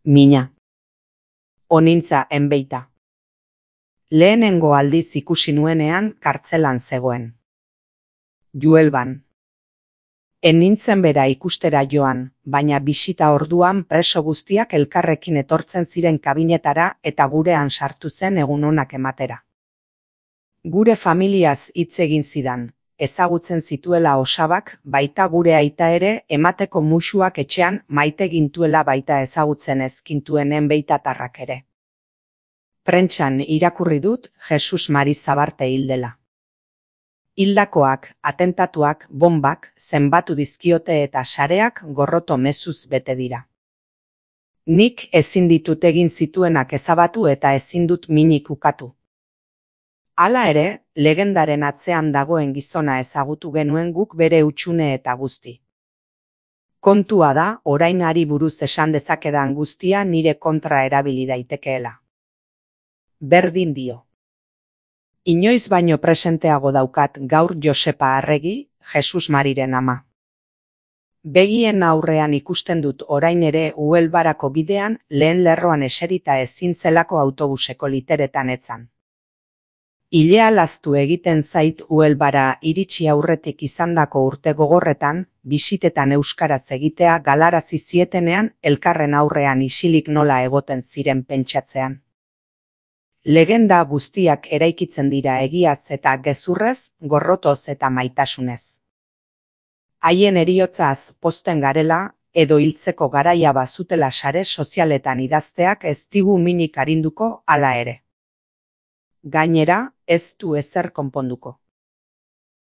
Mina. Onintza enbeita. Lehenengo aldiz ikusi nuenean kartzelan zegoen. Juelban. En nintzen bera ikustera joan, baina bisita orduan preso guztiak elkarrekin etortzen ziren kabinetara eta gurean sartu zen egun onak ematera. Gure familiaz hitz egin zidan, ezagutzen zituela osabak, baita gure aita ere emateko musuak etxean maite gintuela baita ezagutzen ezkintuen enbeitatarrak ere. Prentsan irakurri dut Jesus Mari Zabarte hil dela. Hildakoak, atentatuak, bombak, zenbatu dizkiote eta sareak gorroto mezuz bete dira. Nik ezin ditut egin zituenak ezabatu eta ezin dut minik ukatu. Hala ere, legendaren atzean dagoen gizona ezagutu genuen guk bere hutsune eta guzti. Kontua da, orain hari buruz esan dezakedan guztia nire kontra erabili daitekeela. Berdin dio. Inoiz baino presenteago daukat gaur Josepa Arregi, Jesus Mariren ama. Begien aurrean ikusten dut orain ere Uelbarako bidean lehen lerroan eserita ezin zelako autobuseko literetan etzan. Ilea laztu egiten zait Uelbara iritsi aurretik izandako urte gogorretan, bisitetan euskaraz egitea galarazi zietenean elkarren aurrean isilik nola egoten ziren pentsatzean. Legenda guztiak eraikitzen dira egiaz eta gezurrez, gorrotoz eta maitasunez. Haien heriotzaz pozten garela, edo hiltzeko garaia bazutela sare sozialetan idazteak ez digu minik arinduko hala ere. Gainera, ez du ezer konponduko.